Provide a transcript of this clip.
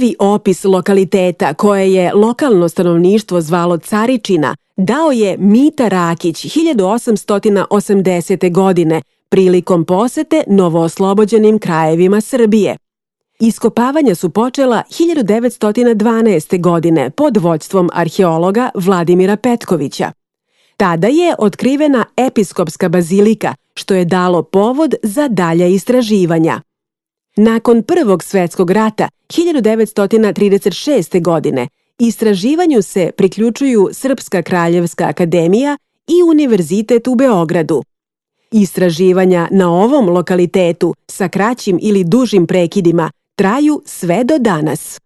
Prvi opis lokaliteta koje je lokalno stanovništvo zvalo Caričina dao je Mita Rakić 1880. godine prilikom posete novooslobođenim krajevima Srbije. Iskopavanja su počela 1912. godine pod vođstvom arheologa Vladimira Petkovića. Tada je otkrivena episkopska bazilika, što je dalo povod za dalja istraživanja. Nakon Prvog svetskog rata 1936. godine istraživanju se priključuju Srpska kraljevska akademija i Univerzitet u Beogradu. Istraživanja na ovom lokalitetu sa kraćim ili dužim prekidima traju sve do danas.